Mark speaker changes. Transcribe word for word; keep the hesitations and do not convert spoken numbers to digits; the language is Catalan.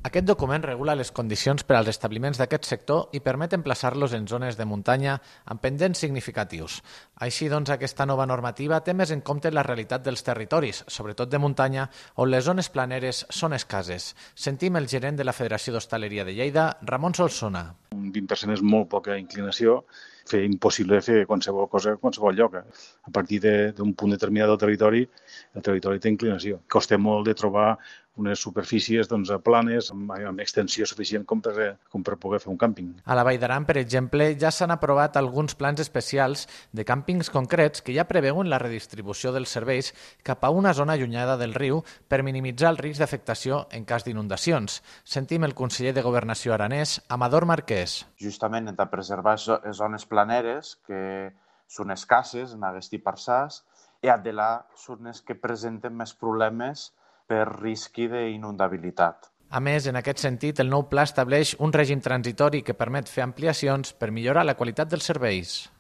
Speaker 1: Aquest document regula les condicions per als establiments d'aquest sector i permet emplaçar-los en zones de muntanya amb pendents significatius. Així doncs, aquesta nova normativa té més en compte la realitat dels territoris, sobretot de muntanya, on les zones planeres són escasses. Sentim el gerent de la Federació d'Hostaleria de Lleida, Ramon Solsona.
Speaker 2: Un vint per cent és molt poca inclinació, fer impossible fer qualsevol cosa a qualsevol lloc. A partir d'un punt determinat del territori, el territori té inclinació. Costa molt de trobar unes superfícies doncs, planes amb, amb extensió suficient com per, com per poder fer un càmping.
Speaker 1: A la Vall d'Aran, per exemple, ja s'han aprovat alguns plans especials de càmpings concrets que ja preveuen la redistribució dels serveis cap a una zona allunyada del riu per minimitzar el risc d'afectació en cas d'inundacions. Sentim el conseller de Governació aranès, Amador Marquès.
Speaker 3: Justament hem de preservar zones planeres que són escasses en aquest parçars i de les zones que presenten més problemes per risc d'inundabilitat.
Speaker 1: A més, en aquest sentit, el nou pla estableix un règim transitori que permet fer ampliacions per millorar la qualitat dels serveis.